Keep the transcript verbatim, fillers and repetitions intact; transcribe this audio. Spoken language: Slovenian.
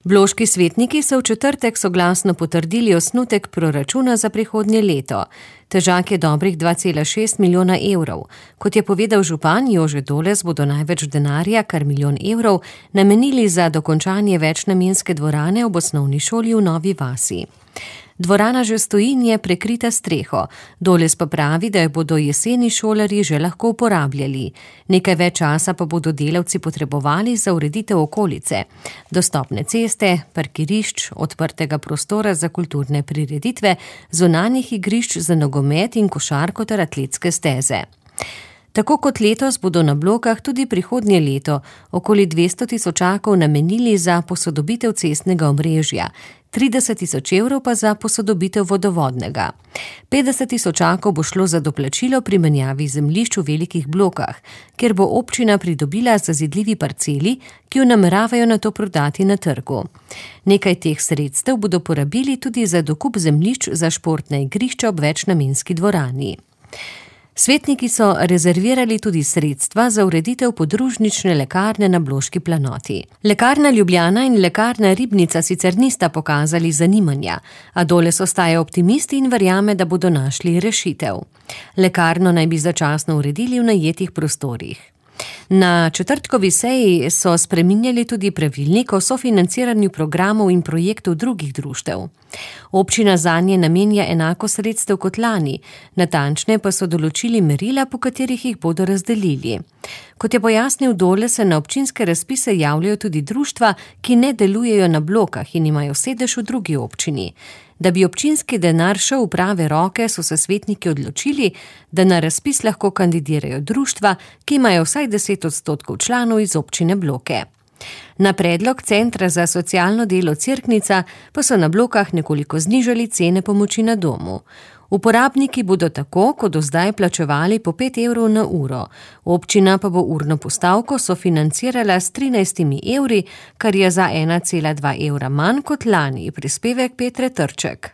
Bloški svetniki so v četrtek soglasno potrdili osnutek proračuna za prihodnje leto. Težak je dobrih dva cela šest milijona evrov. Kot je povedal župan Jože Doles, bodo največ denarja, kar milijon evrov, namenili za dokončanje večnamenske dvorane ob osnovni šoli v Novi vasi. Dvorana že stoji in je prekrita s streho. Doles pa pravi, da jo bodo jeseni šolarji že lahko uporabljali. Nekaj več časa pa bodo delavci potrebovali za ureditev okolice. Dostopne ceste, parkirišč, odprtega prostora za kulturne prireditve, zunanjih igrišč za nogomet in košarko ter atletske steze. Tako kot letos bodo na Blokah tudi prihodnje leto okoli dvesto tisočakov namenili za posodobitev cestnega omrežja, trideset tisoč evrov pa za posodobitev vodovodnega. petdeset tisočakov bo šlo za doplačilo pri menjavi zemljišč v Velikih Blokah, kjer bo občina pridobila zazidljivi parceli, ki jo nameravajo nato prodati na trgu. Nekaj teh sredstev bodo porabili tudi za dokup zemljišč za športna igrišča ob večnamenski dvorani. Svetniki so rezervirali tudi sredstva za ureditev podružnične lekarne na Bloški planoti. Lekarna Ljubljana in lekarna Ribnica sicer nista pokazali zanimanja, a Doles ostaja optimist in verjame, da bodo našli rešitev. Lekarno naj bi začasno uredili v najetih prostorih. Na četrtkovi seji so spreminjali tudi pravilnik o sofinanciranju programov in projektov drugih društev. Občina zanje namenja enako sredstev kot lani, natančne pa so določili merila, po katerih jih bodo razdelili. Kot je pojasnil Doles, se na občinske razpise javljajo tudi društva, ki ne delujejo na Blokah in imajo sedež v drugi občini. Da bi občinski denar šel v prave roke, so se svetniki odločili, da na razpis lahko kandidirajo društva, ki imajo vsaj deset odstotkov članov iz občine Bloke. Na predlog Centra za socialno delo Cerknica pa so na Blokah nekoliko znižali cene pomoči na domu. Uporabniki bodo tako, kot do zdaj, plačevali po pet evrov na uro. Občina pa bo urno postavko sofinancirala s trinajstimi evri, kar je za ena cela dva evra manj kot lani, prispevek Petre Trček.